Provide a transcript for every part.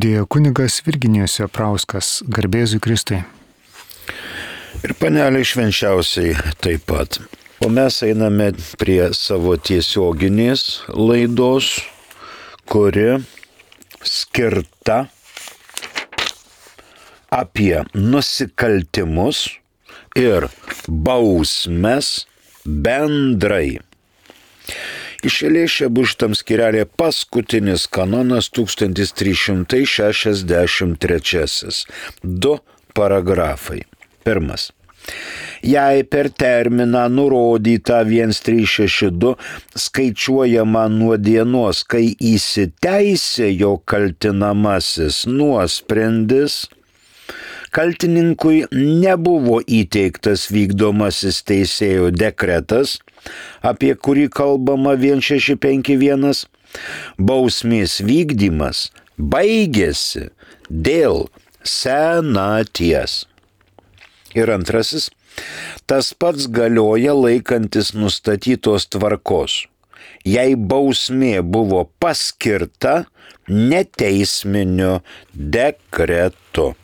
Dėjo kunigas Virginijus Joprauskas, garbėzui Kristui. Ir panelė švenčiausiai taip pat. O mes einame prie savo tiesioginės laidos, kuri skirta apie nusikaltimus ir bausmes bendrai. Išėlės čia bus šitam skyrelė paskutinis kanonas 1363. 2 paragrafai. Pirmas. Jei per terminą nurodytą 1362 skaičiuojama nuo dienos, kai įsiteisėjo kaltinamasis nuosprendis, kaltininkui nebuvo įteiktas vykdomasis teisėjo dekretas, apie kurį kalbama 1651, bausmės vykdymas baigėsi dėl senaties. Ir antrasis, tas pats galioja laikantis nustatytos tvarkos, jei bausmė buvo paskirta neteisminiu dekretu.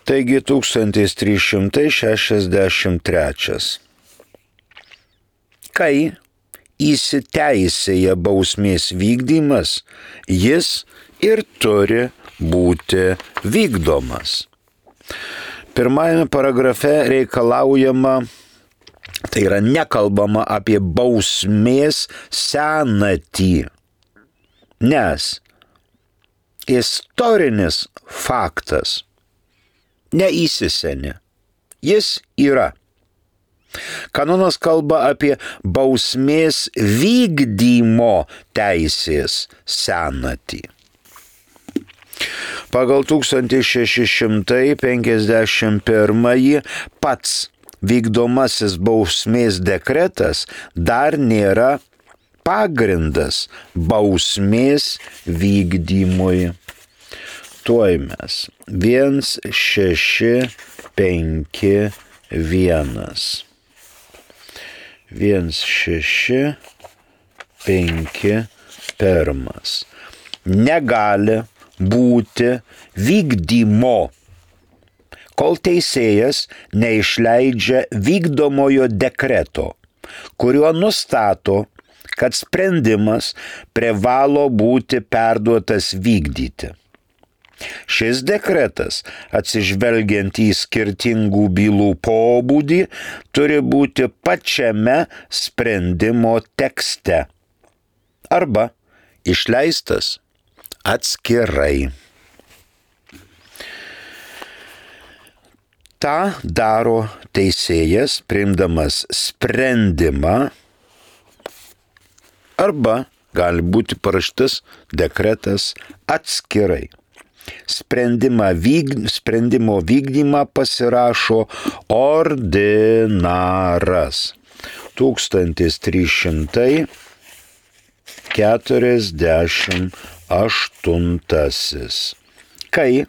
Taigi 1363. Kai įsiteisėja bausmės vykdymas, jis ir turi būti vykdomas. Pirmajame paragrafe reikalaujama, tai yra nekalbama apie bausmės senatį, nes istorinis faktas neįsisenė, jis yra. Kanonas kalba apie bausmės vykdymo teisės senatį. Pagal 1651 pats vykdomasis bausmės dekretas dar nėra pagrindas bausmės vykdymui. Tuoj mes 1651. 1651. Negali būti vykdymo, kol teisėjas neišleidžia vykdomojo dekreto, kuriuo nustato, kad sprendimas privalo būti perduotas vykdyti. Šis dekretas, atsižvelgiant į skirtingų bylų pobūdį, turi būti pačiame sprendimo tekste arba išleistas atskirai. Ta daro teisėjas, priimdamas sprendimą, arba gali būti parašytas dekretas atskirai. Sprendimo vykdymą pasirašo ordinaras. 1348. Kai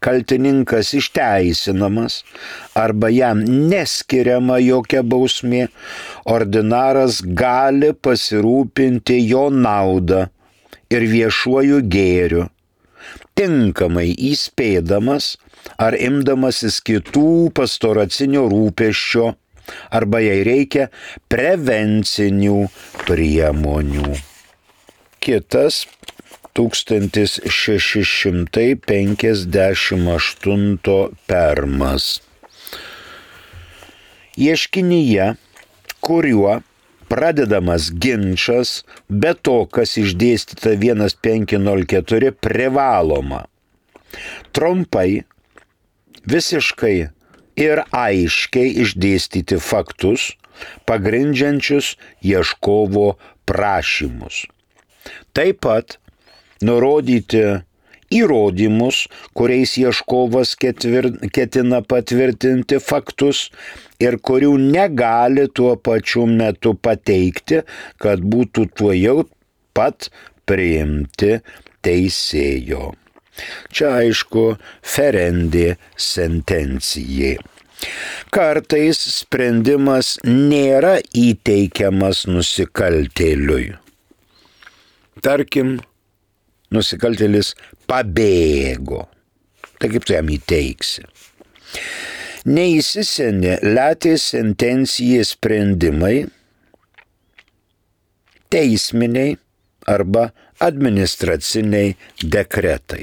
kaltininkas išteisinamas arba jam neskiriama jokia bausmė, ordinaras gali pasirūpinti jo naudą ir viešuoju gėriu, tinkamai įspėdamas ar imdamasis kitų pastoracinių rūpesčio, arba jei reikia prevencinių priemonių. Kitas 1658 permas. Ieškinyje, kuriuo pradedamas ginčas, be to, kas išdėstyta 1504, privaloma trumpai, visiškai ir aiškiai išdėstyti faktus, pagrindžiančius ieškovo prašymus. Taip pat nurodyti įrodymus, kuriais ieškovas ketina patvirtinti faktus ir kurių negali tuo pačiu metu pateikti, kad būtų tuojau pat priimti teisėjo. Čia aišku ferendė sentencijai. Kartais sprendimas nėra įteikiamas nusikaltėliui. Tarkim, nusikaltėlis pabėgo. Tai kaip tu jam įteiksi? Neįsisenė latės sentencijai sprendimai, teisminiai arba administraciniai dekretai.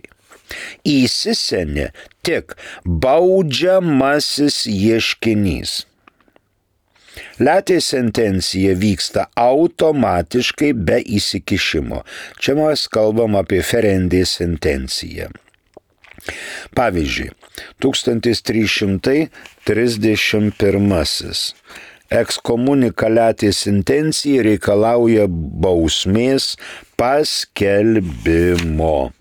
Įsisenė tik baudžiamasis ieškinys. Latės sentencija vyksta automatiškai be įsikišimo. Čia mes kalbam apie ferendės sentenciją. Pavyzdžiui, 1331 ekskomunika latės sentencija reikalauja bausmės paskelbimo.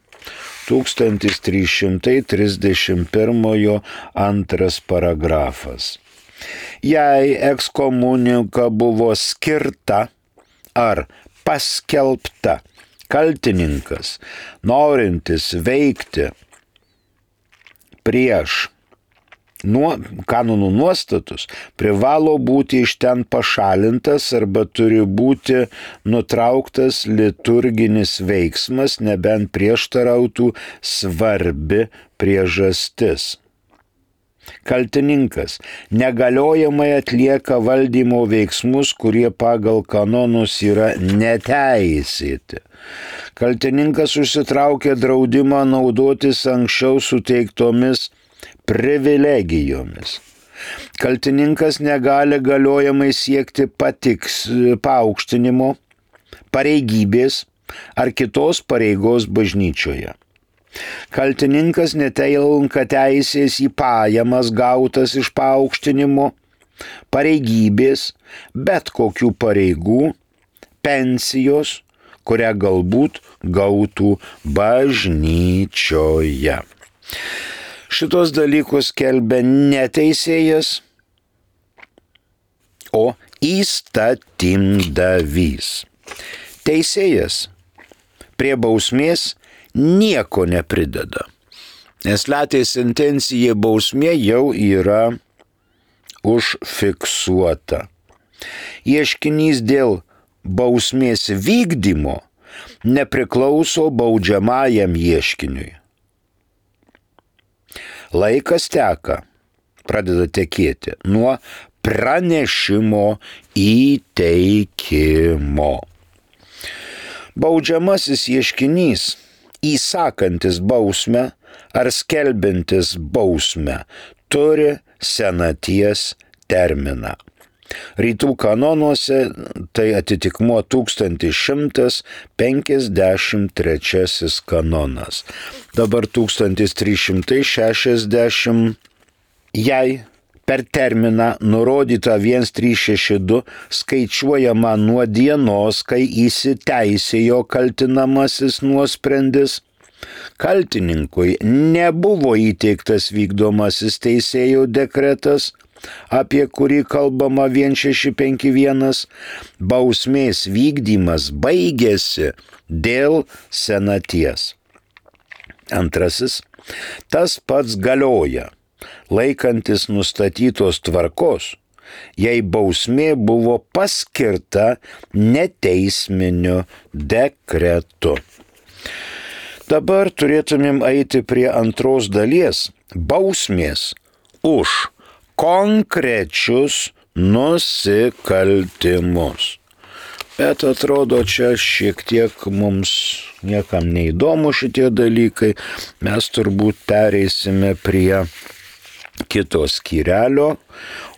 1331 antras paragrafas. Jei ekskomunika buvo skirta ar paskelbta, kaltininkas, norintis veikti prieš kanonų nuostatus, privalo būti iš ten pašalintas arba turi būti nutrauktas liturginis veiksmas, nebent prieštarautų svarbi priežastis. Kaltininkas negaliojamai atlieka valdymo veiksmus, kurie pagal kanonus yra neteisėti. Kaltininkas užsitraukia draudimą naudotis anksčiau suteiktomis privilegijomis. Kaltininkas negali galiojamai siekti paaukštinimo, pareigybės ar kitos pareigos bažnyčioje. Kaltininkas netenka teisės į pajamas gautas iš paaukštinimo, pareigybės, bet kokių pareigų, pensijos, kurią galbūt gautų bažnyčioje. Šitos dalykus skelbia ne teisėjas, o įstatymdavys. Teisėjas prie bausmės nieko neprideda, nes latės sentencija bausmė jau yra užfiksuota. Ieškinys dėl bausmės vykdymo nepriklauso baudžiamajam ieškiniui. Laikas teka, pradeda tekėti nuo pranešimo įteikimo. Baudžiamasis ieškinys, įsakantis bausmę ar skelbiantis bausmę, turi senaties terminą. Rytų kanonuose tai atitikmuo 1153 kanonas. Dabar 1360. Jei per terminą nurodytą 1362 skaičiuojama nuo dienos, kai įsiteisėjo kaltinamasis nuosprendis, kaltininkui nebuvo įteiktas vykdomasis teisėjo dekretas, apie kurį kalbama 1651, bausmės vykdymas baigėsi dėl senaties. Antrasis, tas pats galioja, laikantis nustatytos tvarkos, jei bausmė buvo paskirta neteisminiu dekretu. Dabar turėtumėm eiti prie antros dalies – bausmės už konkrečius nusikaltimus. Bet atrodo, čia šiek tiek mums niekam neįdomu šitie dalykai. Mes turbūt pereisime prie kito skyrelio,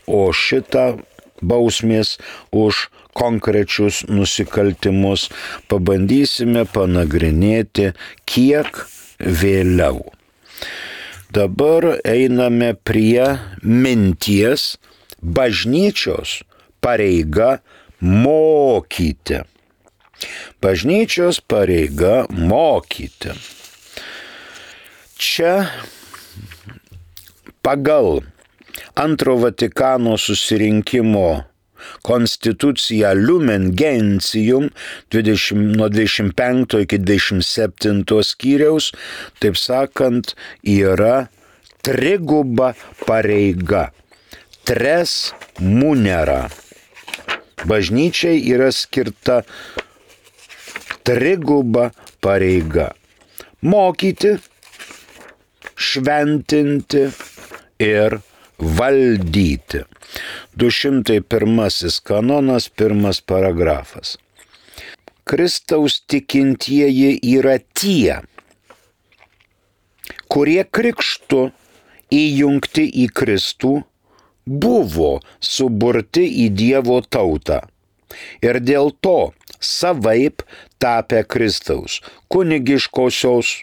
o šitą bausmės už konkrečius nusikaltimus pabandysime panagrinėti kiek vėliau. Dabar einame prie minties bažnyčios pareiga mokyti. Bažnyčios pareiga mokyti. Čia pagal Antro Vatikano susirinkimo konstituciją Lumen Gentium nuo 25 iki 27 skyriaus, taip sakant, yra triguba pareiga. Tres munera. Bažnyčiai yra skirta triguba pareiga. mokyti, šventinti ir valdyti. 201 kanonas, 1 paragrafas. Kristaus tikintieji yra tie, kurie krikštu įjungti į Kristų buvo suburti į Dievo tautą ir dėl to savaip tapę Kristaus kunigiškosios,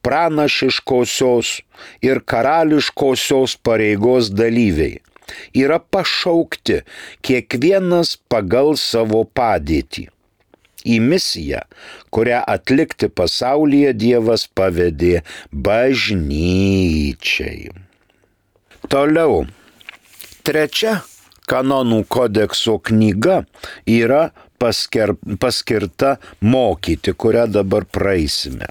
pranašiškosios ir karališkosios pareigos dalyviai yra pašaukti kiekvienas pagal savo padėtį į misiją, kurią atlikti pasaulyje Dievas pavedė bažnyčiai. Toliau, 3 kanonų kodekso knyga yra paskirta mokyti, kurią dabar praeisime.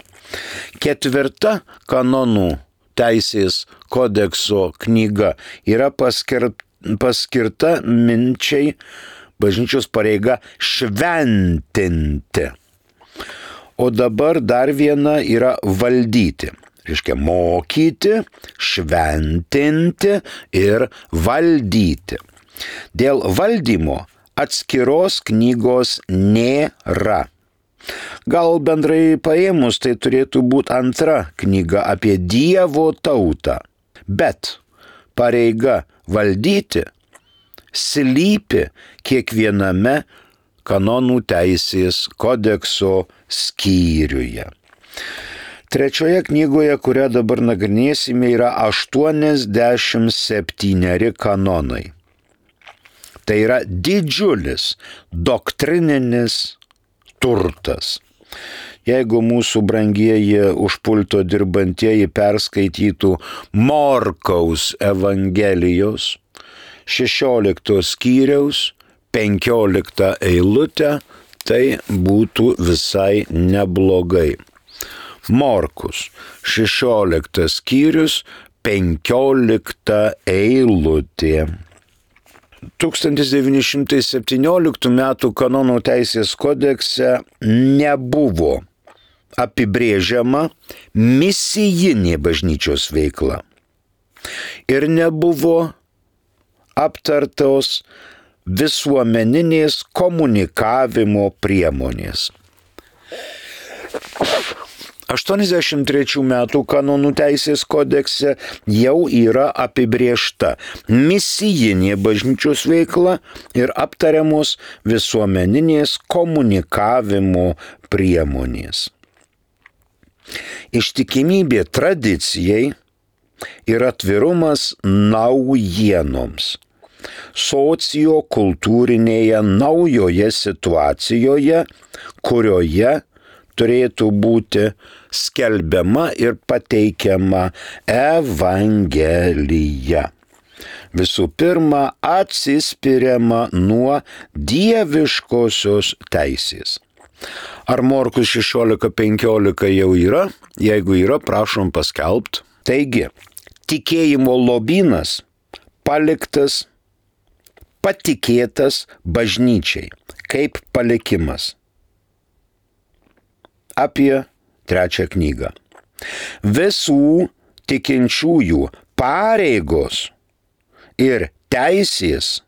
4 kanonų teisės kodekso knyga yra paskirta minčiai bažnyčios pareiga šventinti. O dabar dar viena yra valdyti. Reiškia mokyti, šventinti ir valdyti. Dėl valdymo atskiros knygos nėra. Gal bendrai paėmus tai turėtų būti 2 knyga apie Dievo tautą. Bet pareiga valdyti slypi kiekviename kanonų teisės kodekso skyriuje. 3 knygoje, kurią dabar nagrinėsime, yra 87 kanonai. Tai yra didžiulis doktrininis turtas. Jeigu mūsų brangieji už pulto dirbantieji perskaitytų Morkaus Evangelijos 16 skyriaus 15 eilutę, tai būtų visai neblogai. Morkus 16 skyrius 15 eilutė. 1917 m. kanonų teisės kodekse nebuvo apibrėžiama misijinė bažnyčios veikla ir nebuvo aptartos visuomeninės komunikavimo priemonės. 83 metų kanonų teisės kodekse jau yra apibrėžta misijinė bažnyčios veikla ir aptariamos visuomeninės komunikavimo priemonės. Ištikimybė tradicijai ir atvirumas naujienoms sociokultūrinėje naujoje situacijoje, kurioje turėtų būti skelbiama ir pateikiama Evangelija. Visų pirma, atsispiriama nuo dieviškosios teisės. Ar Morkus 16:15 jau yra? Jeigu yra, prašom paskelbt. Taigi, tikėjimo lobynas paliktas, patikėtas bažnyčiai kaip palikimas. Apie 3 knygą. Visų tikinčiųjų pareigos ir teisės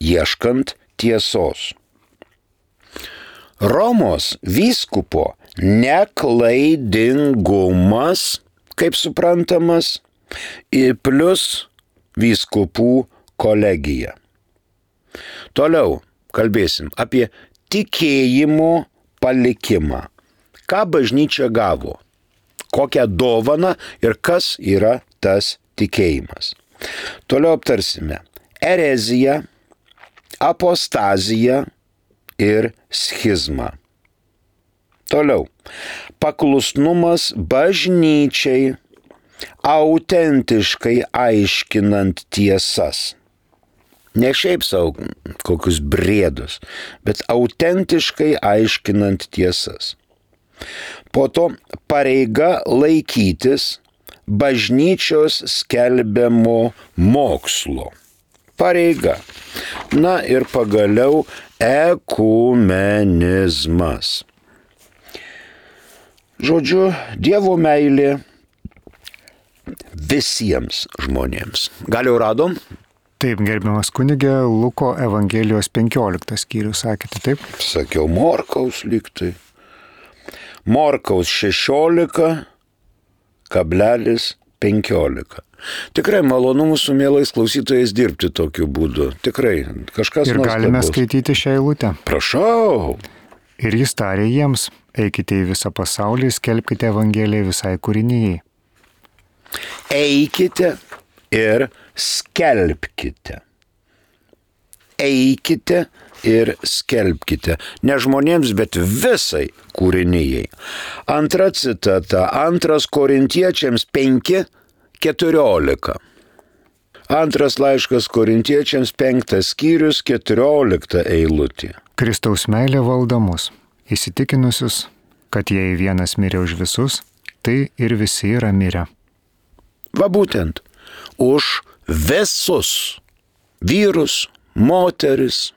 ieškant tiesos. Romos vyskupo neklaidingumas, kaip suprantamas, plus vyskupų kolegija. Toliau kalbėsim apie tikėjimo palikimą. Ką bažnyčia gavo? Kokią dovaną ir kas yra tas tikėjimas? Toliau aptarsime ereziją, apostaziją ir schizmą. Toliau. Paklusnumas bažnyčiai, autentiškai aiškinant tiesas. Ne šiaip savo kokius briedus, bet autentiškai aiškinant tiesas. Po to pareiga laikytis bažnyčios skelbiamo mokslo. Pareiga. Na ir pagaliau ekumenizmas. Žodžiu, Dievo meilė visiems žmonėms. Gal jau radom? Taip, gerbiamas kunigė, Luko Evangelijos 15 skyrius, sakėte, taip? Sakiau, Morkaus lygtai. Morkaus 16,15. Tikrai malonu mūsų mielais klausytojais dirbti tokiu būdu. Tikrai, kažkas ir nuostabus. galime skaityti šią eilutę. Prašau. Ir jis tarė jiems, eikite į visą pasaulį, skelbkite Evangeliją visai kūrinijai. Eikite ir skelbkite. Eikite ir skelbkite. Ne žmonėms, bet visai kūrinijai. Antra citata, 2 Korintiečiams 5:14. Antras laiškas Korintiečiams 5 skyrius 14 eilutė. Kristaus meilė valdo mus, įsitikinusius, kad jei vienas mirė už visus, tai ir visi yra mirę. Va būtent, už visus vyrus, moteris,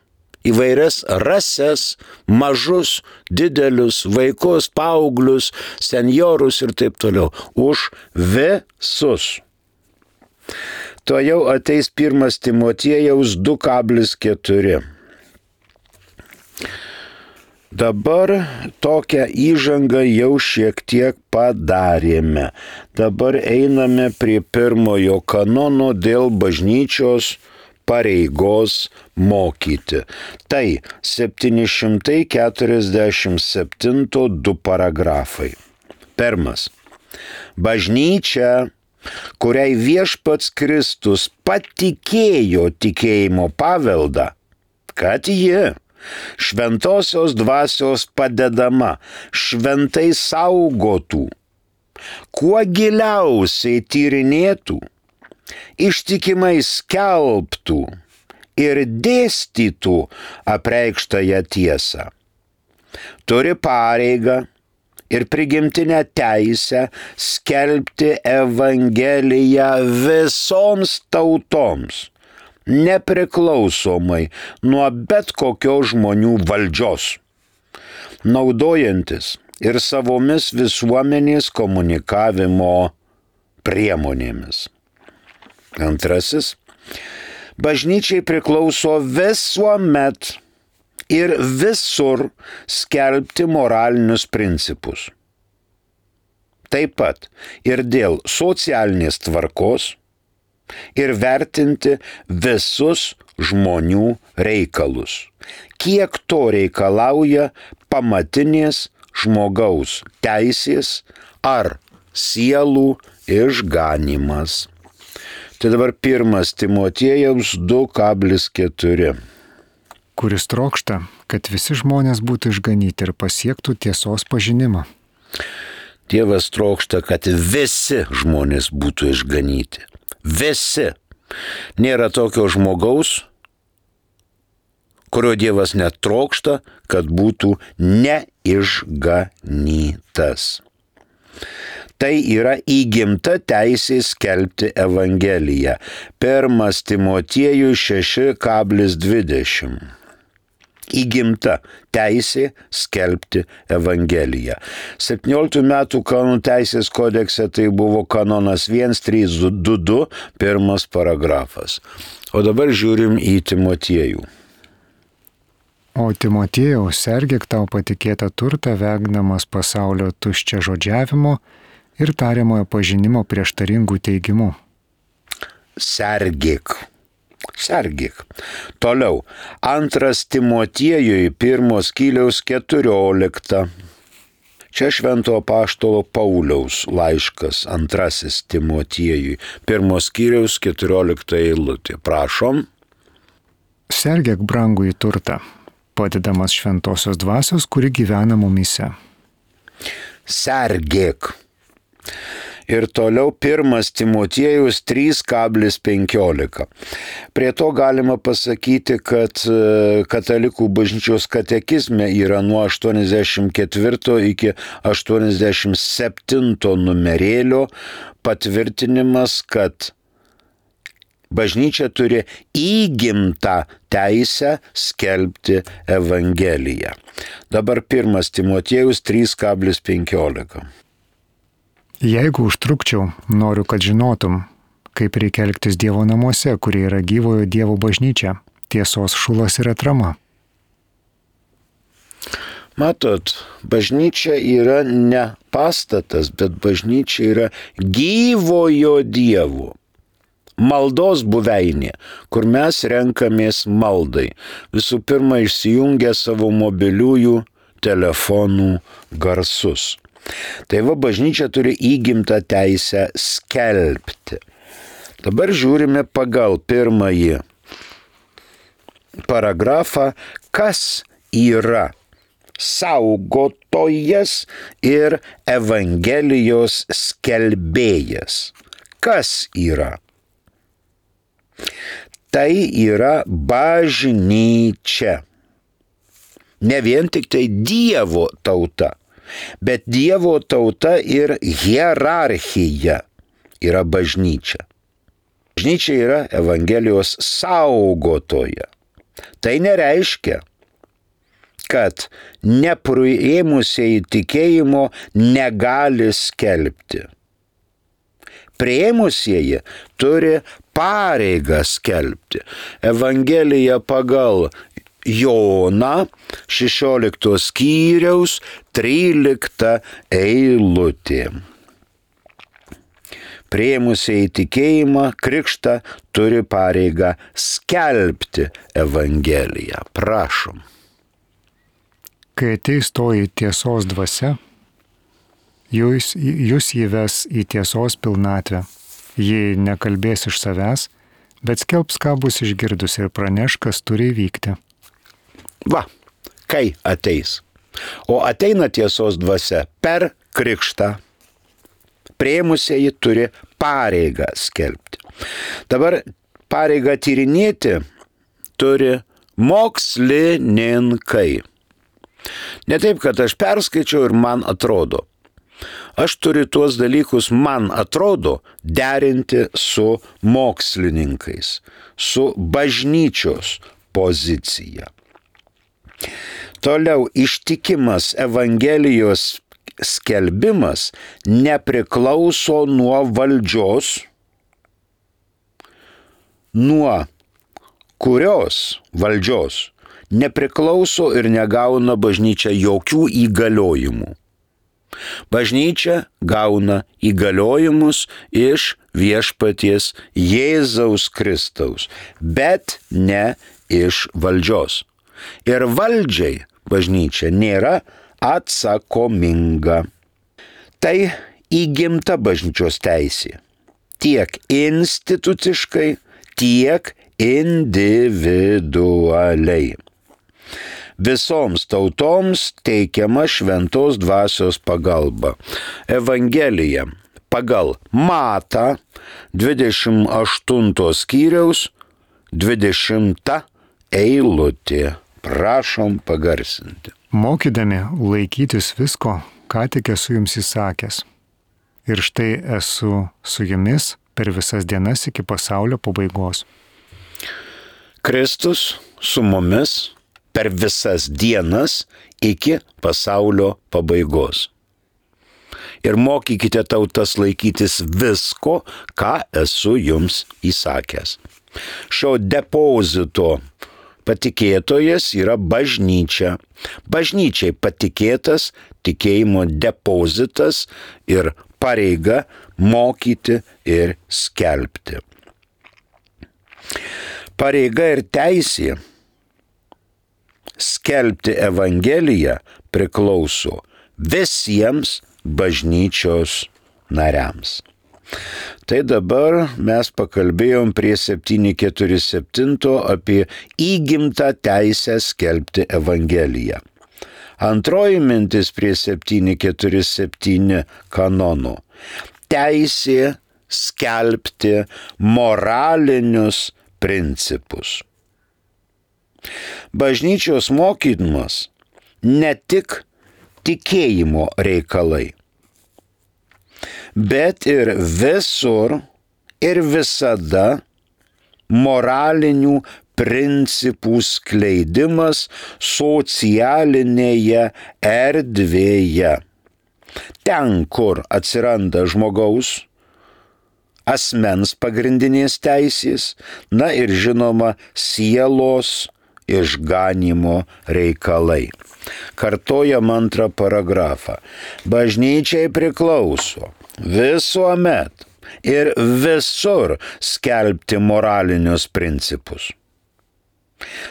įvairias rases, mažus, didelius, vaikus, paauglius, senjorus ir taip toliau. Už visus. To jau ateis 1 Timotiejaus 2,4. Dabar tokią įžangą jau šiek tiek padarėme. Dabar einame prie 1 kanono dėl bažnyčios pareigos mokyti. Tai 747 2 paragrafai. 1. Bažnyčia, kuriai viešpats Kristus patikėjo tikėjimo paveldą, kad ji šventosios dvasios padedama šventai saugotų, kuo giliausiai tyrinėtų, ištikimai skelbtų ir dėstytų apreikštąją tiesą. Turi pareigą ir prigimtinę teisę skelbti Evangeliją visoms tautoms, nepriklausomai nuo bet kokios žmonių valdžios, naudojantis ir savomis visuomenės komunikavimo priemonėmis. Antrasis, bažnyčiai priklauso visuomet ir visur skelbti moralinius principus. Taip pat ir dėl socialinės tvarkos ir vertinti visus žmonių reikalus, kiek to reikalauja pamatinės žmogaus teisės ar sielų išganymas. Tai dabar 1 Timotiejaus 2,4. Kuris trokšta, kad visi žmonės būtų išganyti ir pasiektų tiesos pažinimą. Dievas trokšta, kad visi žmonės būtų išganyti. Visi. Nėra tokio žmogaus, kurio Dievas netrokšta, kad būtų neišganytas. Tai yra įgimta teisė skelbti Evangeliją. 1 Timotiejui 6,20. Įgimta teisė skelbti Evangeliją. 17 metų kanonų teisės kodekse tai buvo kanonas 1322, 1 paragrafas. O dabar žiūrim į Timotiejų. O Timotiejau, sergėk tau patikėtą turtą, vengdamas pasaulio tuščia žodžiavimo ir tariamojo pažinimo prieštaringų teigimų. Sergėk. Toliau. 2 Timotiejui 1 skyriaus 14. Čia švento apaštalo Pauliaus laiškas 2 Timotiejui 1 skyriaus 14 eilutė. Prašom. Sergėk brangųjį turtą, padedamas šventosios dvasios, kuri gyvena mumyse. Sergėk. Ir toliau 1 Timotiejus 3,15. Prie to galima pasakyti, kad katalikų bažnyčios katekizme yra nuo 84 iki 87 numerėlio patvirtinimas, kad bažnyčia turi įgimtą teisę skelbti Evangeliją. Dabar 1 Timotiejus 3,15. Jeigu užtrukčiau, noriu, kad žinotum, kaip reikia elgtis Dievo namuose, kurie yra gyvojo Dievo bažnyčia, tiesos šulas ir atrama. Matot, bažnyčia yra ne pastatas, bet bažnyčia yra gyvojo Dievo. Maldos buveinė, kur mes renkamės maldai. Visų pirma, išsijungę savo mobiliųjų telefonų garsus. Tai va, bažnyčia turi įgimtą teisę skelbti. Dabar žiūrime pagal pirmąjį paragrafą, kas yra saugotojas ir Evangelijos skelbėjas. Kas yra? Tai yra bažnyčia. Ne vien tik tai Dievo tauta, bet Dievo tauta ir hierarchija yra bažnyčia. Bažnyčia yra Evangelijos saugotoja. Tai nereiškia, kad nepriėmusieji tikėjimo negali skelbti. Priėmusieji turi pareigą skelbti. Evangelija pagal Joną 16 skyriaus 13 eilutė. Priėmusieji tikėjimą, krikštą turi pareigą skelbti Evangeliją. Prašom. Kai ateis toji tiesos dvasia, jūs įves į tiesos pilnatvę. Ji nekalbės iš savęs, bet skelbs, ką bus išgirdus ir praneš, kas turi įvykti. Va, kai ateis. O ateina tiesos dvasia per krikštą. Priėmusieji turi pareigą skelbti. Dabar pareigą tyrinėti turi mokslininkai. Ne taip, kad aš perskaičiau ir man atrodo. Aš turiu tuos dalykus, man atrodo, derinti su mokslininkais, su bažnyčios pozicija. Toliau, ištikimas Evangelijos skelbimas nepriklauso nuo valdžios, nuo kurios valdžios nepriklauso ir negauna bažnyčia jokių įgaliojimų. Bažnyčia gauna įgaliojimus iš viešpaties Jėzaus Kristaus, bet ne iš valdžios. Ir valdžiai bažnyčia nėra atsakominga. Tai įgimta bažnyčios teisė. Tiek instituciškai, tiek individualiai. Visoms tautoms teikiama šventos dvasios pagalba. Evangelija pagal Matą 28 skyriaus 20 eilutė. Prašom pagarsinti. Mokydami laikytis visko, ką tik esu jums įsakęs. Ir štai esu su jumis per visas dienas iki pasaulio pabaigos. Kristus su mumis per visas dienas iki pasaulio pabaigos. Ir mokykite tautas laikytis visko, ką esu jums įsakęs. Šio depozito patikėtojas yra bažnyčia. Bažnyčiai patikėtas tikėjimo depozitas ir pareiga mokyti ir skelbti. Pareiga ir teisė skelbti Evangeliją priklauso visiems bažnyčios nariams. Tai dabar mes pakalbėjom prie 747 apie įgimtą teisę skelbti Evangeliją. Antroji mintis prie 747 kanono. Teisė skelbti moralinius principus. Bažnyčios mokymas ne tik tikėjimo reikalai, bet ir visur ir visada moralinių principų skleidimas socialinėje erdvėje. Ten, kur atsiranda žmogaus, asmens pagrindinės teisės, na ir žinoma sielos išganymo reikalai. Kartojam antrą paragrafą. Bažnyčiai priklauso visuomet ir visur skelbti moralinius principus.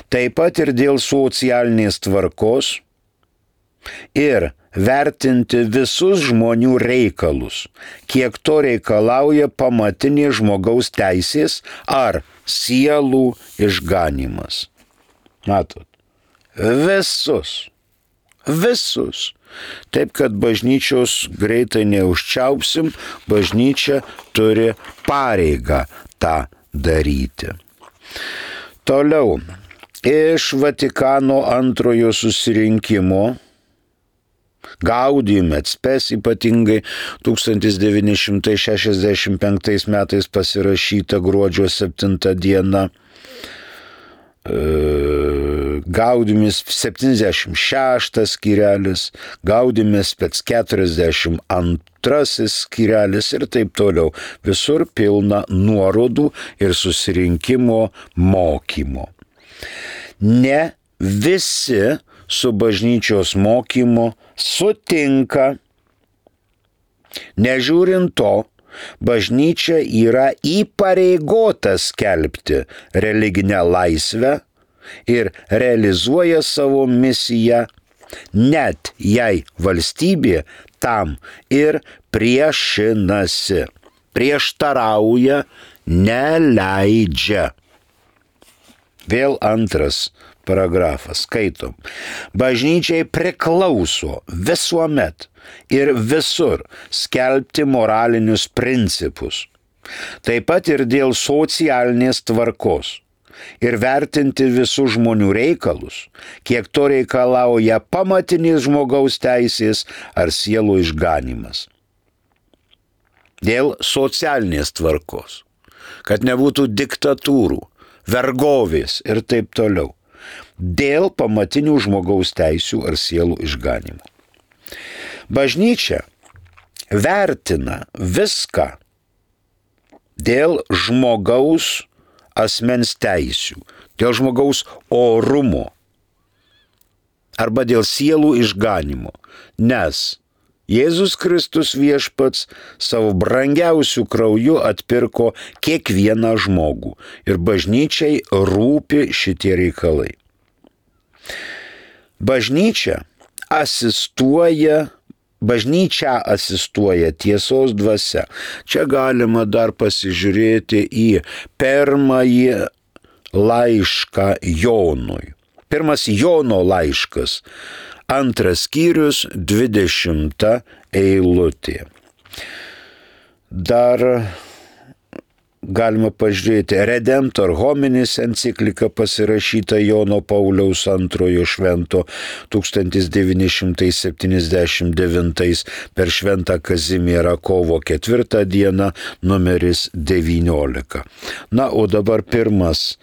Taip pat ir dėl socialinės tvarkos ir vertinti visus žmonių reikalus, kiek to reikalauja pamatinės žmogaus teisės ar sielų išganymas. Matot, visus. Taip, kad bažnyčios greitai neužčiaupsim, bažnyčia turi pareigą tą daryti. Toliau, iš Vatikano antrojo susirinkimo Gaudium et Spes ypatingai 1965 metais pasirašyta gruodžio 7 dieną, Gaudiumis 76 skyrelis, Gaudiumis Spes 42 skyrelis ir taip toliau. Visur pilna nuorodų ir susirinkimo mokymo. Ne visi su bažnyčios mokymu sutinka. Nežiūrint to, bažnyčia yra įpareigota skelbti religinę laisvę ir realizuoja savo misiją, net jei valstybė tam ir priešinasi, prieštarauja, neleidžia. Vėl antras paragrafas, skaitom. Bažnyčiai priklauso visuomet ir visur skelbti moralinius principus, taip pat ir dėl socialinės tvarkos ir vertinti visų žmonių reikalus, kiek to reikalauja pamatinės žmogaus teisės ar sielų išganymas. Dėl socialinės tvarkos, kad nebūtų diktatūrų, vergovės ir taip toliau. Dėl pamatinių žmogaus teisių ar sielų išganimo. Bažnyčia vertina viską dėl žmogaus asmens teisių, dėl žmogaus orumo arba dėl sielų išganimo, nes Jėzus Kristus viešpats savo brangiausių krauju atpirko kiekvieną žmogų ir bažnyčiai rūpi šitie reikalai. Bažnyčia asistuoja tiesos dvasia. Čia galima dar pasižiūrėti į pirmąjį laišką Jonui. Pirmas Jono laiškas, 2 skyrius, 20 eilutė. Dar galima pažiūrėti Redemptor Hominis enciklika pasirašyta Jono Pauliaus II švento 1979 per Šventą Kazimierą kovo 4 dieną, numeris 19. Na, o dabar pirmas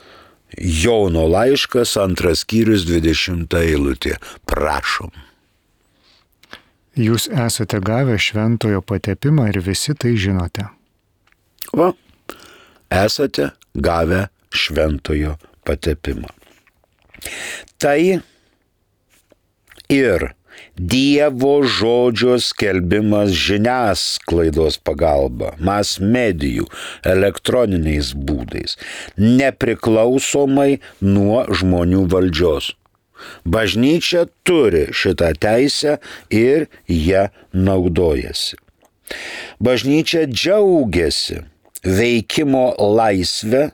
Jono laiškas, 2 skyrius, 20 eilutė. Prašom. Jūs esate gavę šventojo patepimą ir visi tai žinote. Va, esate gavę šventojo patepimą. Tai ir Dievo žodžio skelbimas žiniasklaidos pagalba, mas medijų, elektroniniais būdais, nepriklausomai nuo žmonių valdžios. Bažnyčia turi šitą teisę ir ją naudojasi. Bažnyčia džiaugiasi veikimo laisvę,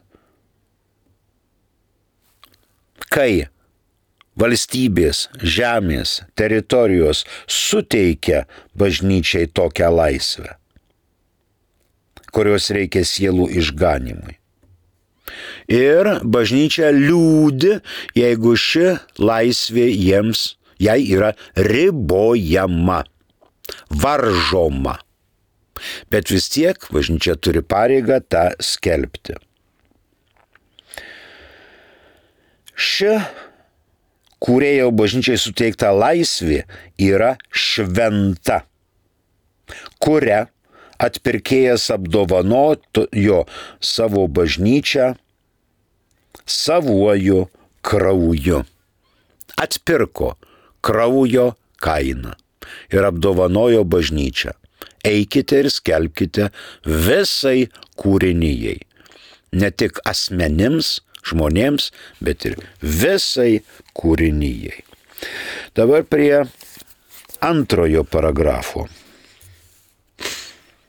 kai valstybės, žemės, teritorijos suteikia bažnyčiai tokią laisvę, kurios reikia sielų išganimui. Ir bažnyčia liūdi, jeigu ši laisvė jai yra ribojama, varžoma. Bet vis tiek bažnyčia turi pareigą tą skelbti. Ši kūrėjo bažnyčiai suteikta laisvė yra šventa, kuria atpirkėjas apdovanojo savo bažnyčią savuoju krauju. Atpirko kraujo kainą ir apdovanojo bažnyčią. Eikite ir skelbkite visai kūrinijai. Ne tik asmenims, žmonėms, bet ir visai kūrinijai. Dabar prie antrojo paragrafo.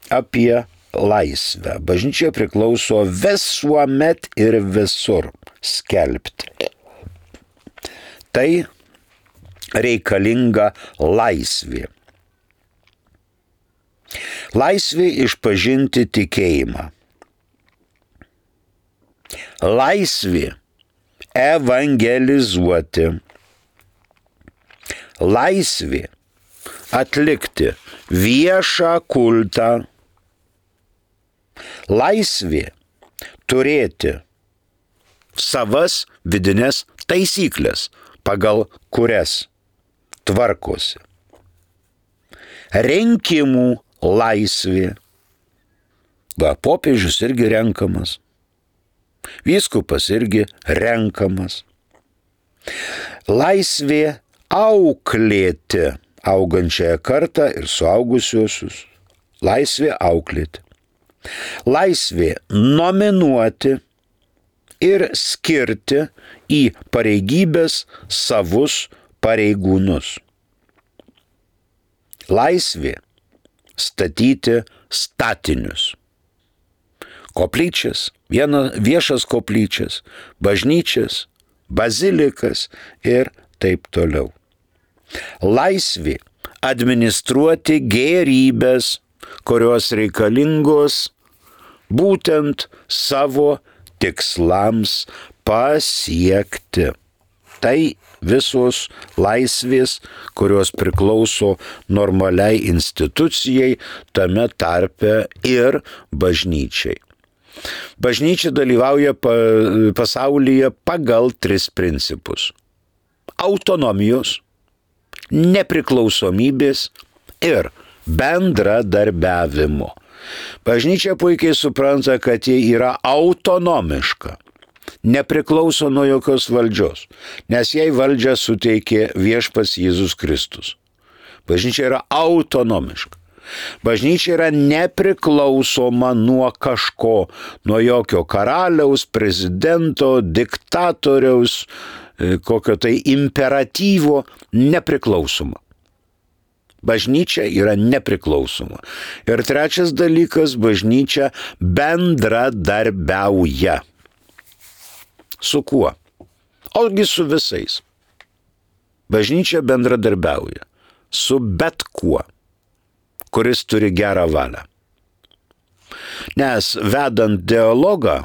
Apie laisvę. Bažnyčia priklauso visuomet ir visur skelbti. Tai reikalinga laisvė. Laisvė išpažinti tikėjimą. Laisvė evangelizuoti. Laisvė atlikti viešą kultą. Laisvė turėti savas vidinės taisyklės, pagal kurias tvarkosi. Rinkimų laisvė. Popiežius irgi renkamas. Vyskupas irgi renkamas. Laisvė auklėti augančiąją kartą ir suaugusiuosius. Laisvė auklėti. Laisvė nominuoti ir skirti į pareigybės savus pareigūnus. Laisvė statyti statinius. Koplyčias, viešas koplyčias, bažnyčias, bazilikas ir taip toliau. Laisvė administruoti gėrybės, kurios reikalingos būtent savo tikslams pasiekti. Tai visos laisvės, kurios priklauso normaliai institucijai, tame tarpe ir bažnyčiai. Bažnyčia dalyvauja pasaulyje pagal 3 principus: autonomijos, nepriklausomybės ir bendradarbiavimo. Bažnyčia puikiai supranta, kad ji yra autonomiška, nepriklauso nuo jokios valdžios, nes jai valdžią suteikė viešpats Jėzus Kristus. Bažnyčia yra autonomiška. Bažnyčia yra nepriklausoma nuo kažko, nuo jokio karaliaus, prezidento, diktatoriaus, kokio tai imperatyvo, nepriklausoma. Bažnyčia yra nepriklausoma. Ir trečias dalykas, bažnyčia bendradarbiauja. Su kuo? Ogi su visais. Bažnyčia bendradarbiauja su bet kuo, kuris turi gerą valią. Nes vedant dialogą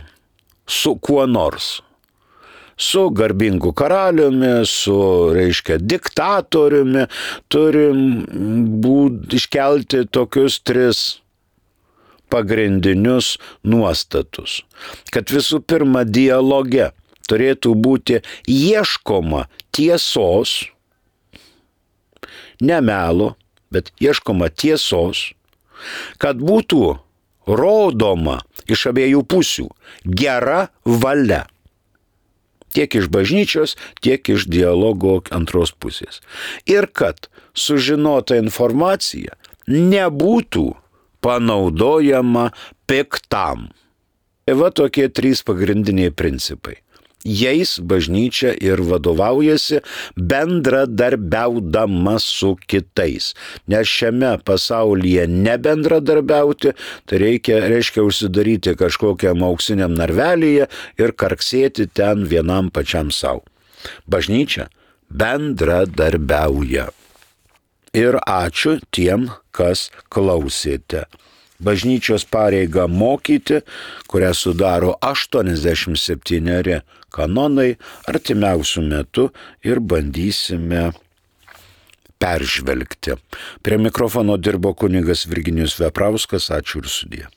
su kuo nors, su garbingu karaliumi, su, diktatoriumi, turim iškelti tokius 3 pagrindinius nuostatus. Kad visų pirma dialoge turėtų būti ieškoma tiesos, ne melo, bet ieškoma tiesos, kad būtų rodoma iš abiejų pusių gera valia. Tiek iš bažnyčios, tiek iš dialogo antros pusės. Ir kad sužinota informacija nebūtų panaudojama piktam. Tai va tokie 3 pagrindiniai principai. Jais bažnyčia ir vadovaujasi bendradarbiaudama su kitais. Nes šiame pasaulyje nebendradarbiauti, tai reiškia užsidaryti kažkokiam auksiniam narvelyje ir karksėti ten vienam pačiam savo. Bažnyčia bendradarbiauja. Ir ačiū tiem, kas klausėte. Bažnyčios pareiga mokyti, kurią sudaro 87 kanonai, artimiausių metų ir bandysime peržvelgti. Prie mikrofono dirbo kunigas Virginijus Veprauskas. Ačiū ir sudie.